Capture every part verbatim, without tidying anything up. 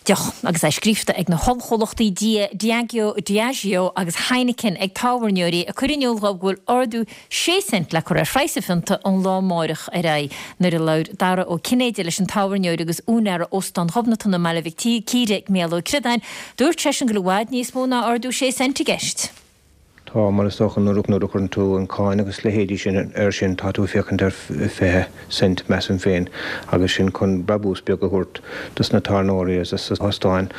deoch agus é scríofa ag na hollchomhlachtaí Diageo Diageo agus Heineken ag tábhairneoirí ag cur in iúl go bhfuil ardú sé cent le cur ar phraghas an phionta ón lá amárach ar aghaidh. Nuair a labhair Dara Ó Cinnéide leis an tábhairneoir agus úinéir Óstán Ghobnatan i mBaile Mhic Íre Mícheál Ó Críodáin, dúirt seisean go bhfuil i bhfad níos mó ná ardú sé cent i gceist. Tá mar is dócha nuair nuair a chuireann tú an cáin agus leithéidí sin air sin tá tú féachaint ar fiche cent measaim féin agus sin chun brabús beag a thabhairt dos na tábhairneoirí agus na hóstáin.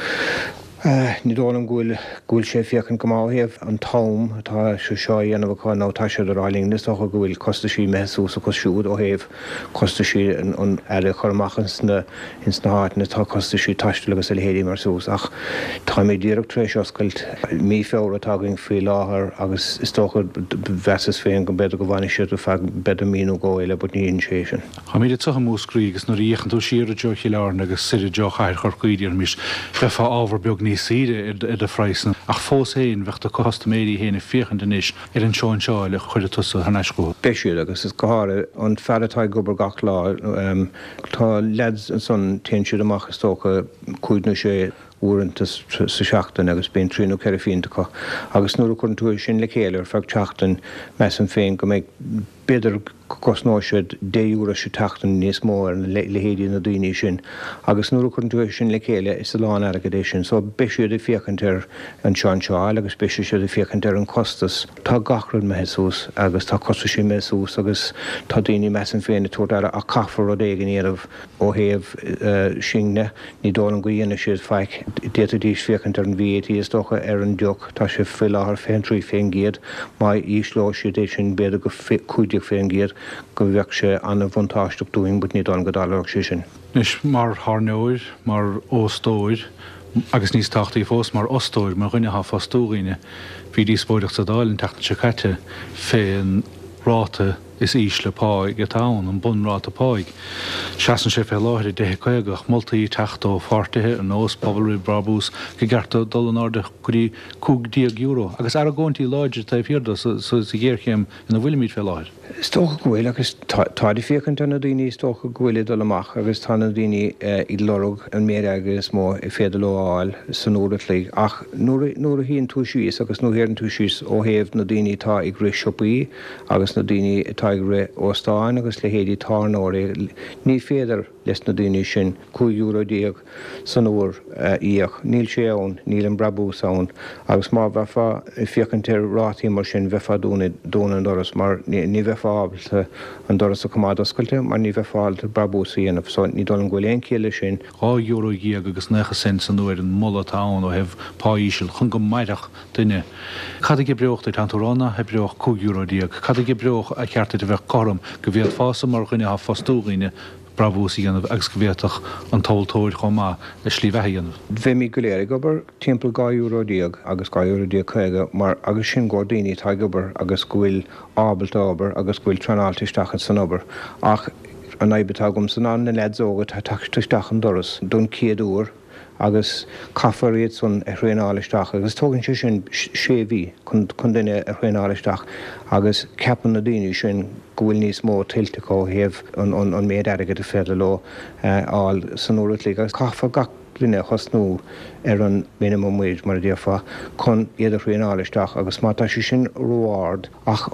Ní dóigh liom go bhfuil go bhfuil sé féachaint go maith an t-am atá sé seo a dhéanamh acu nó tá sé ar linn is dócha go bhfuil costaisí imithe suas acu siúd ó thaobh costaisí an earra a chur amach ins na ins na háiteanna tá costaisí taistil agus a leithéidí mar suas ach táimid díreach tar éis oscailt mí Feabhra atá againn faoi láthair agus is dócha mheasas féin go mb'fhéidir go bhfanfaidh siad feadh b'fhéidir mí nó dhó eile but ní sé sin. Táimid anseo i Múscraí agus nuair a fhéachann tú siar i dtreo Chill Airne agus soir i dtreo chathair Chorcaí déarfaimis bheifeá ábhar beag níos saoire ar do phraghas ach fós féin bheadh do chustaiméirí féin ag féachaint anois ar an seoinseáil a chuir tusa thar n-ais chucu. Beidh siad agus is go háirithe an fear atá ag obair gach lá tá lads ansan téann siad amach is dócha cúig nó sé uaireanta sa seachtain agus bíonn trí nó ceithre phionta acu agus nuair a chuireann tú sin le chéile ar feadh seachtain measaim féin go mbeidh b'fhéidir go gcosnóidh siad deich euro sa tseachtain níos mó ar na leithéidí na daoine sin agus nuair a chuireann tú sin le chéile is a lán airgead é sin so beidh siad ag féachaint ar an seanseáil agus beidh siad ag féachaint ar an costas tá gach rud imithe suas agus tá costas imithe suas agus tá daoine measaim féin ag tabhairt aire ach caithfear rud éigin a dhéanamh ó thaobh sinne ní dóigh liom go dhéanfaidh siad faic d'fhéadfaidís féachaint ar an VAT is dócha ar an deoch tá sé faoi láthair fiche trí faoin gcéad má ísleodh siad é sin b'fhéidir go cúig déag faoin gcéad go bheadh sé an-bhuntáisteach dúinn, but ní dóigh liom go dtarlódh sé sin. Anois mar thábhairneoir, mar óstóir agus níos tábhachtaí fós mar fhostóir mar dhuine atá ag fostú dhaoine, bhí díospóireacht sa Dáil an tseachtain seo caite fén ráta is ísle páigh atá ann, an bunráta páigh. Seasann sé fé láthair ag deich caoga ach moltaí teacht ó pháirtithe ar nós Pobal Roimh Brabús gur cheart dul in airde go dtí cúig déag euro agus argóintí láidre taobh thiar de sa ghéarchéim ina bhfuilimid fé láthair. Is dócha go bhfuil agus tá ag féachaint ar na daoine is dócha go bhfuil ag dul amach agus tá na daoine ag lorg an méid airgid is mó is féidir leo a fháil san uair a chloig ach nuair nuair a shuíonn tú síos agus nuair a théann tú síos ó thaobh na daoine atá ag rith siopaí agus na daoine atá ag rith óstáin agus leithéidí tábhairneoirí ní féidir leis na daoine sin cúig euro déag san uair a íoc. Níl sé ann, níl an brabús ann agus má bheifeá ag féachaint ar rátaí mar sin bheifeá dúnadh an doras mar ní bheifeá ábalta an doras a choimeád oscailte mar ní bheifeá ábalta brabús a dhéanamh so ní dóigh liom go bhfuil aon chiall leis sin. Dhá euro dhéag agus naocha cent san uair an moladh atá ann ó thaobh pá íseal chun go mairfeadh duine. Cad a dh'oibreodh duit tá tú ag rá nach oibreodh cúig euro déag, Cad a dh'oibreodh a cheart duit a bheith cothrom go bhféadfása mar dhuine atá ag fostú dhaoine brabús a dhéanamh agus go bhféadfadh an tomhaltóir chomh maith le slí bheatha a dhéanamh. Bheimid go léir ag obair timpeall dhá euro déag agus dhá euro déag caoga mar agus sin go daoine atá ag obair agus go bhfuil ábalta obair agus go bhfuil traenáilte isteach san obair ach an fhadhb atá agamsa ná na lads óga atá teacht isteach an doras don chéad uair agus caithfear iad san a thraenáil isteach agus tógann sé sin sé mhí chun chun duine a thraenáil isteach agus ceapann na daoine sin go bhfuil níos mó tuillte acu ó thaobh an an an méid airgid is féidir leo fháil san uair a chloig agus caithfear gach duine a thosnú ar an minimum wage mar a déarfá chun iad a thraenáil isteach agus má tá sé sin ró-ard ach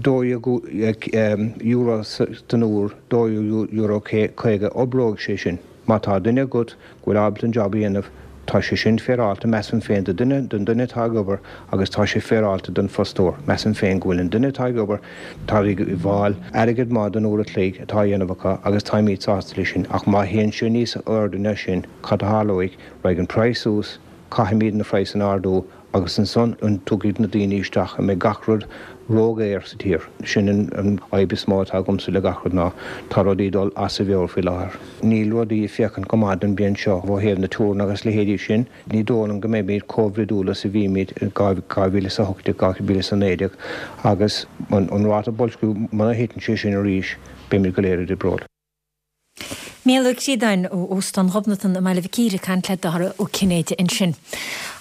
dó euro den uair dó euro caoga oibreoidh sé sin. Má tá duine agat go bhfuil ábalta an job a dhéanamh, tá sé sin féaráilte measaim féin do duine don duine atá ag obair agus tá sé féaráilte don fostóir. Measaim féin go bhfuil an duine atá ag obair tá ag fáil airgead maith don uair a chloig atá á dhéanamh acu agus táimid sásta leis sin ach má théann sé níos airde ná sin cad a tharlóidh raghaidh an praghas suas, caithfimid na praghas a ardú agus ansan an dtiocfaidh na daoine isteach a mbeidh gach rud ródhaor sa tír. Sin an fhadhb is mó atá agamsa le gach rud ná tá rudaí dul as a mheabhair faoi láthair. Níl rudaí ag féachaint go maith don bhliain seo ó thaobh na tuaranna agus leithéidí sin, ní dóigh liom go mbeimid chomh bhroidiúil is a bhímid dhá mhíle is a hocht déag dhá mhíle is a naoi déag agus an ráta boilsciú muna thiteann sé sin arís beimid go léir i dtrioblóid. Mícheál Ó Críodáin ó Óstán Ghobnatan i mBaile Mhic Íre ag caint le Dara Ó Cinnéide ansin.